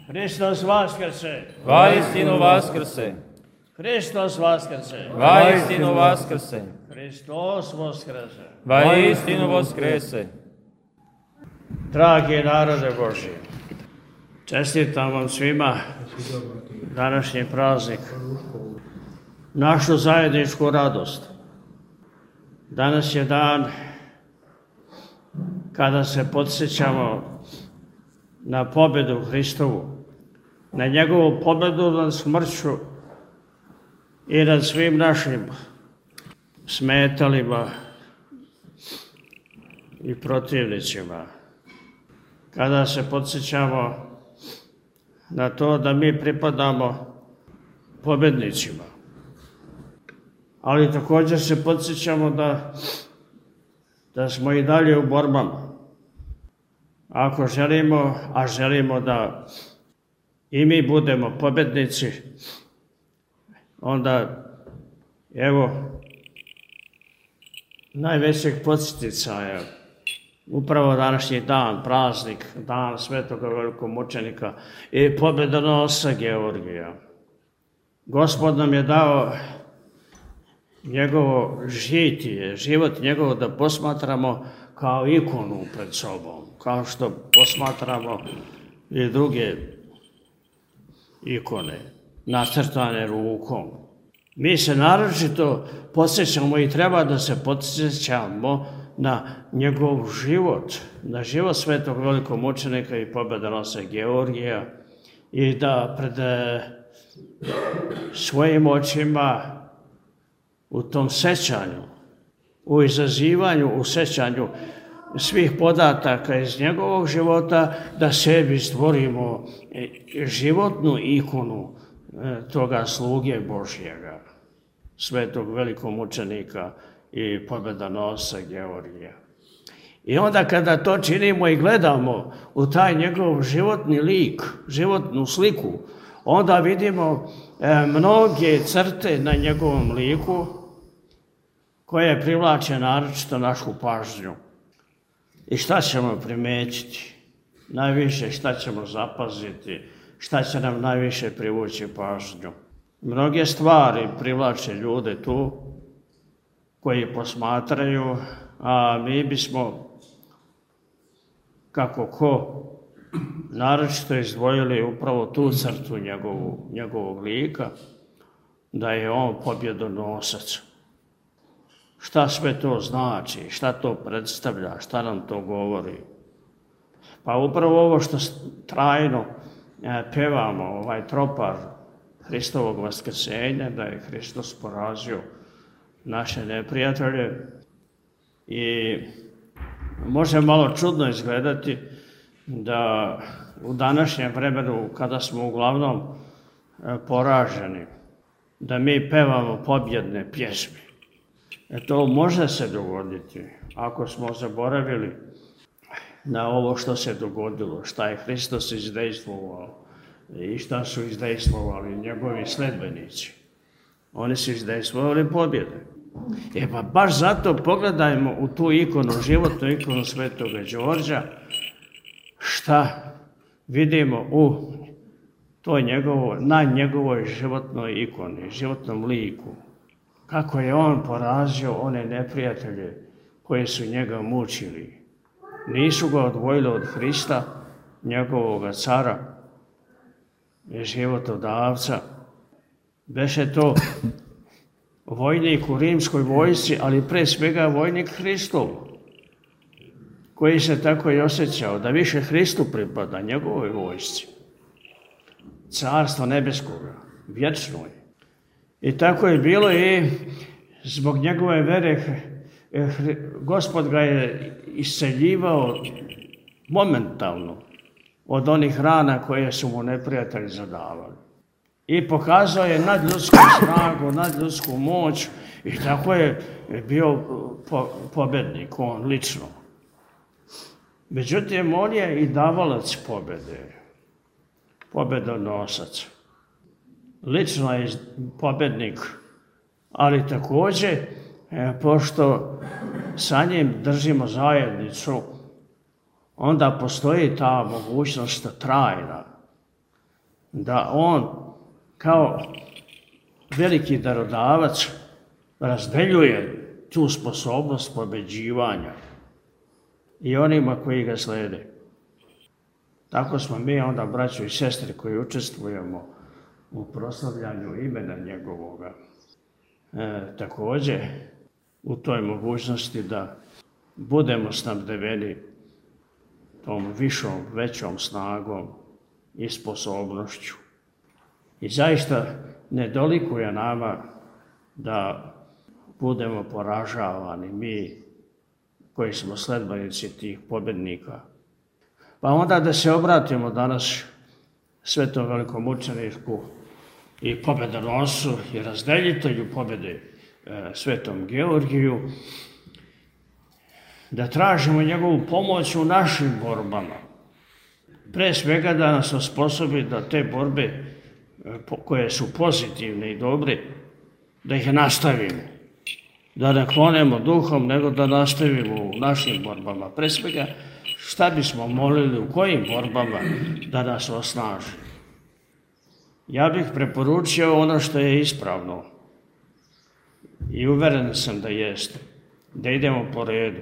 Hristos vaskrse! Vaistinu vaskrse! Hristos vaskrse! Vaistinu vaskrse! Hristos vaskrse! Vaistinu vaskrese! Dragi narode Božji, čestitam vam svima današnji praznik, našu zajedničku radost. Danas je dan kada se podsjećamo na pobedu Hristovu, na njegovu pobedu nad smrću i nad svim našim smetalima i protivnicima. Kada se podsjećamo na to da mi pripadamo pobednicima, ali također se podsjećamo da smo i dalje u borbama. Ako želimo, a želimo da i mi budemo pobednici, onda evo najvećeg podsjetnica upravo današnji dan, praznik, dan svetoga velikomučenika i pobedonosca Georgija. Gospod nam je dao njegovo žitije, život njegov da posmatramo kao ikonu pred sobom, kao što posmatramo i druge ikone, nacrtane rukom. Mi se naročito podsjećamo i treba da se podsjećamo na njegov život, na život svetog velikomučenika i pobedonosca Georgija i da pred svojim očima u tom sećanju, u izazivanju, u sećanju svih podataka iz njegovog života, da sebi stvorimo životnu ikonu toga sluge Božjega, svetog velikomučenika i pobedonosca Georgija. I onda kada to činimo i gledamo u taj njegov životni lik, životnu sliku, onda vidimo mnoge crte na njegovom liku koje privlače naročito našu pažnju. I šta ćemo primetiti? Najviše šta ćemo zapaziti? Šta će nam najviše privući pažnju? Mnoge stvari privlače ljude tu koji posmatraju, a mi bismo, kako ko, naročito izdvojili upravo tu crtu njegovog lika, da je on pobjedonosac. Šta sve to znači, šta to predstavlja, šta nam to govori? Pa upravo ovo što trajno pevamo, ovaj tropar Hristovog vaskrsenja, da je Hristos porazio naše neprijatelje, i može malo čudno izgledati da u današnjem vremenu, kada smo uglavnom poraženi, da mi pevamo pobjedne pjesme. To može se dogoditi ako smo zaboravili na ovo što se dogodilo, šta je Hristos izdejstvovao i šta su izdejstvovali njegovi sledbenici. Oni su izdejstvovali pobjede. Pa baš zato pogledajmo u tu ikonu, životnu ikonu svetoga Đorđa, šta vidimo na njegovoj životnoj ikoni, životnom liku. Kako je on porazio one neprijatelje koji su njega mučili. Nisu ga odvojili od Hrista, njegovog cara i životodavca. Beše to vojnik u rimskoj vojsci, ali pre svega vojnik Hristov, koji se tako i osjećao da više Hristu pripada, njegovoj vojsci. Carstvo nebeskoga, vječno je. I tako je bilo i zbog njegove vere Gospod ga je isceljivao momentalno od onih rana koje su mu neprijatelji zadavali. I pokazao je nadljudsku snagu, nadljudsku moć i tako je bio pobednik, on lično. Međutim, on je i davalac pobjede, pobedonosac. Lično je pobednik, ali također, pošto sa njim držimo zajednicu, onda postoji ta mogućnost trajna, da on kao veliki darodavac razdeljuje tu sposobnost pobeđivanja i onima koji ga slede. Tako smo mi onda, braćo i sestre, koji učestvujemo u proslavljanju imena njegovoga, također u toj mogućnosti da budemo snabdeveni tom višom, većom snagom i sposobnošću. I zaista ne dolikuje nama da budemo poražavani, mi koji smo sledbenici tih pobjednika. Pa onda da se obratimo danas svetom velikomučeniku i pobjedonosu i razdeljitelju pobjede svetom Georgiju, da tražimo njegovu pomoć u našim borbama. Pre svega da nas osposobi da te borbe koje su pozitivne i dobre, da ih nastavimo. Da ne klonemo duhom, nego da nastavimo u našim borbama. Pre svega, šta bismo molili, u kojim borbama da nas osnaži. Ja bih preporučio ono što je ispravno i uveren sam da jeste, da idemo po redu,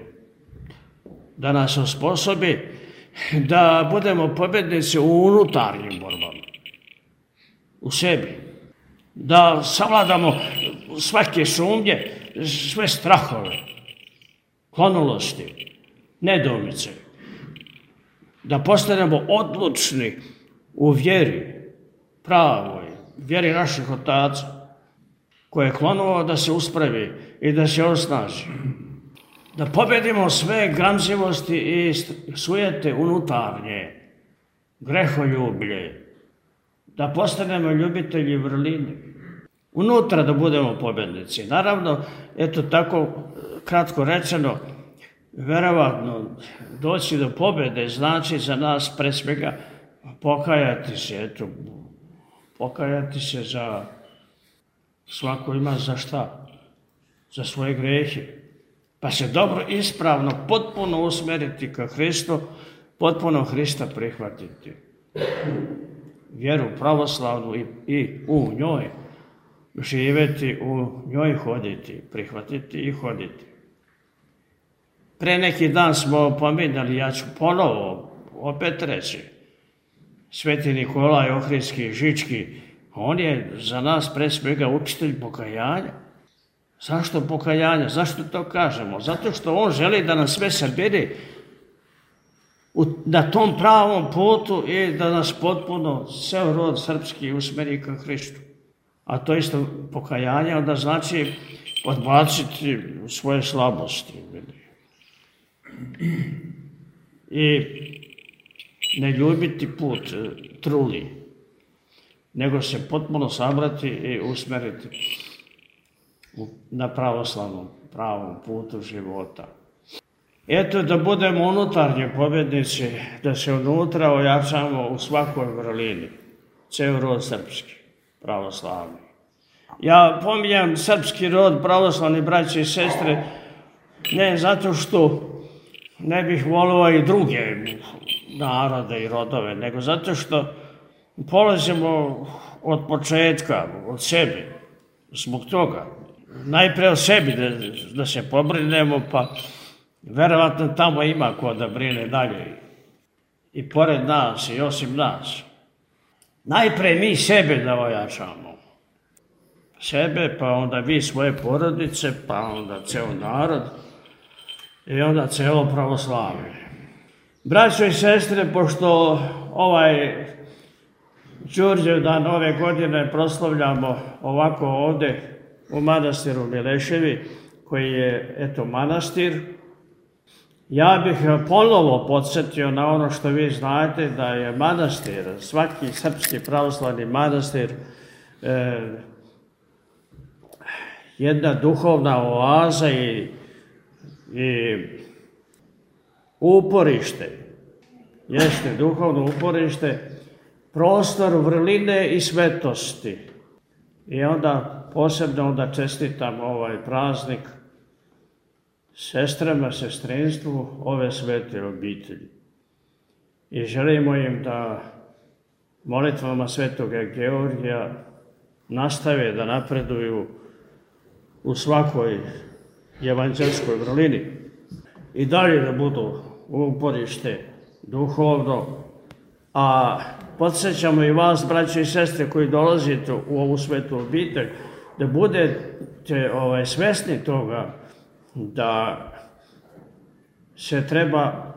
da nas osposobi da budemo pobjednici u unutarnjim borbama, u sebi, da savladamo svake sumnje, sve strahove, klonulosti, nedoumice, da postanemo odlučni u vjeri, pravoj, vjeri naših otaca, koje je klonuo da se uspravi i da se osnaži. Da pobjedimo sve gramzivosti i sujete unutarnje, greholjublje, da postanemo ljubitelji vrline. Unutra da budemo pobjednici. Naravno, eto tako kratko rečeno, verovatno doći do pobjede znači za nas pre svega pokajati se za svako ima za šta, za svoje grehe. Pa se dobro, ispravno, potpuno usmeriti ka Hristu, potpuno Hrista prihvatiti. Vjeru pravoslavnu i u njoj živjeti, u njoj hoditi, prihvatiti i hoditi. Pre neki dan smo pominjali, ja ću ponovo opet reći, Sveti Nikolaj Ohridski Žički, on je za nas pre svega učitelj pokajanja. Zašto pokajanja? Zašto to kažemo? Zato što on želi da nas sve sabere na tom pravom putu i da nas potpuno ceo rod srpski usmeri ka Hristu. A to isto pokajanje onda znači odbaciti svoje slabosti. I ne ljubiti put truli, nego se potpuno sabrati i usmeriti na pravoslavnom, pravom putu života. Eto, da budemo unutarnje pobjednici, da se unutra ojačamo u svakoj vrlini, ceo rod srpski, pravoslavni. Ja pominjam srpski rod, pravoslavni braće i sestre, ne zato što ne bih volio i druge narode i rodove, nego zato što polazimo od početka, od sebe, zbog toga. Najpre o sebi da se pobrinemo, pa verovatno tamo ima ko da brine dalje. I pored nas, i osim nas. Najpre mi sebe da ojačamo. Sebe, pa onda vi svoje porodice, pa onda ceo narod i onda celo pravoslavlje. Braćo i sestre, pošto ovaj Đurđev dan ove godine proslavljamo ovako ovde u manastiru Mileševi, koji je, eto, manastir, ja bih ponovo podsjetio na ono što vi znate, da je manastir, svaki srpski pravoslavni manastir, jedna duhovna oaza i uporište, jeste duhovno uporište, prostor vrline i svetosti. I onda posebno onda čestitam ovaj praznik sestrama, sestrinstvu ove svete obitelji. I želimo im da molitvama svetoga Georgija nastave da napreduju u svakoj evanđelskoj vrlini i dalje da budu uporište duhovno, a podsjećamo i vas, braće i sestre, koji dolazite u ovu svetu obitelj, da budete svesni toga da se treba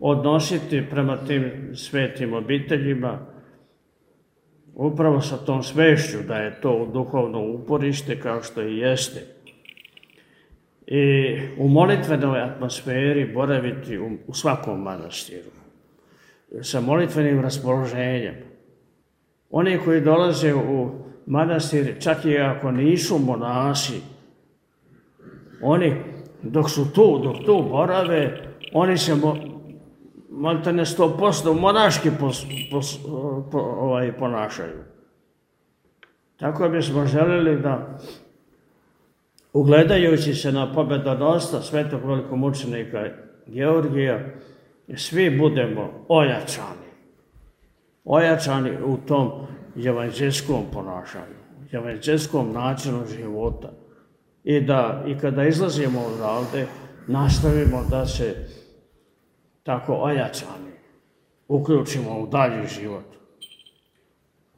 odnositi prema tim svetim obiteljima upravo sa tom svešću da je to duhovno uporište kao što i jeste. I u molitvenoj atmosferi boraviti u svakom manastiru, sa molitvenim raspoloženjem. Oni koji dolaze u manastir, čak i ako nisu monasi, oni dok tu borave, oni se maltene 100% monaški ponašaju. Tako bismo želeli da, ugledajući se na pobedonosca svetog velikomučenika Georgija, svi budemo ojačani u tom evanđelskom ponašanju, evanđelskom načinu života. I kada izlazimo odavde, nastavimo da se tako ojačani uključimo u dalji život.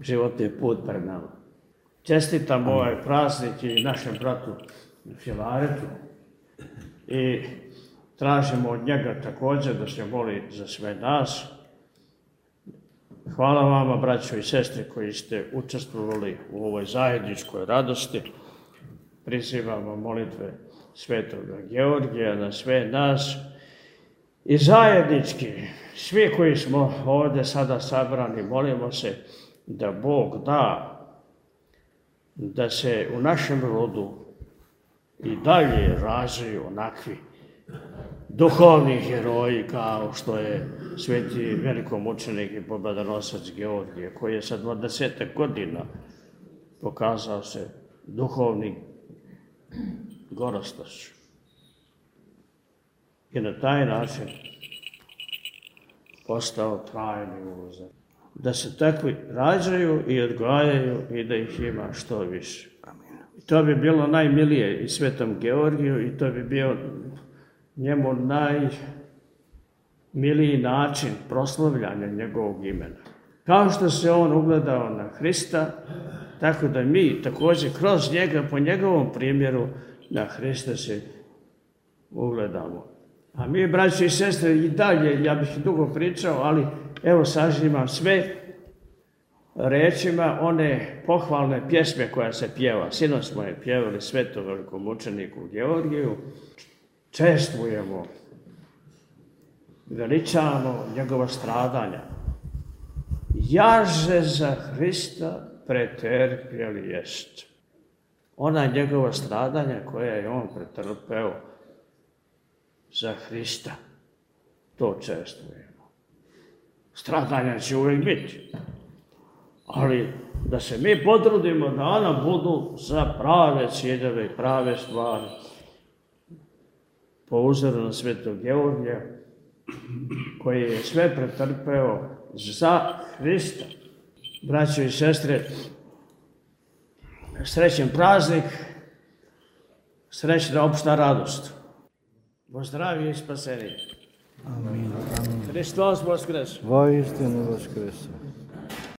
Život je put pred nama. Čestitam ovaj praznik i našem bratu Filaretu i tražimo od njega također da se moli za sve nas. Hvala vama, braćo i sestre, koji ste učestvovali u ovoj zajedničkoj radosti. Prizivamo molitve svetoga Georgija na sve nas i zajednički, svi koji smo ovdje sada sabrani, molimo se da Bog da da se u našem rodu i dalje razviju onakvi duhovni heroji kao što je sveti velikomučenik i pobjedonosac Georgije, koji je sa 20 godina pokazao se duhovni gorostaš. I na taj način postao trajni uzor. Da se takvi rađaju i odgajaju i da ih ima što više. I to bi bilo najmilije i svetom Georgiju i to bi bio njemu najmiliji način proslavljanja njegovog imena. Kao što se on ugledao na Hrista, tako da mi također kroz njega, po njegovom primjeru, na Hrista se ugledamo. A mi, braći i sestre, i dalje, ja bih dugo pričao, ali evo sažimam sve rečima one pohvalne pjesme koja se pjeva. Sinoć smo je pjevali svetom velikomučeniku Georgiju. Čestvujemo, veličamo njegova stradanja. Jaže za Hrista preterpjeli jest. Ona njegova stradanja koja je on pretrpeo za Hrista, to čestvujemo. Stradanja će uvijek biti, ali da se mi potrudimo da ona budu za prave ciljeve i prave stvari. Po uzoru na svetog Georgija, koji je sve pretrpeo za Hrista. Braćo i sestre, srećan praznik, srećna opšta radost. Bo zdravlje i spasenje. Amin. Hristos voskres. Voistinu voskreso.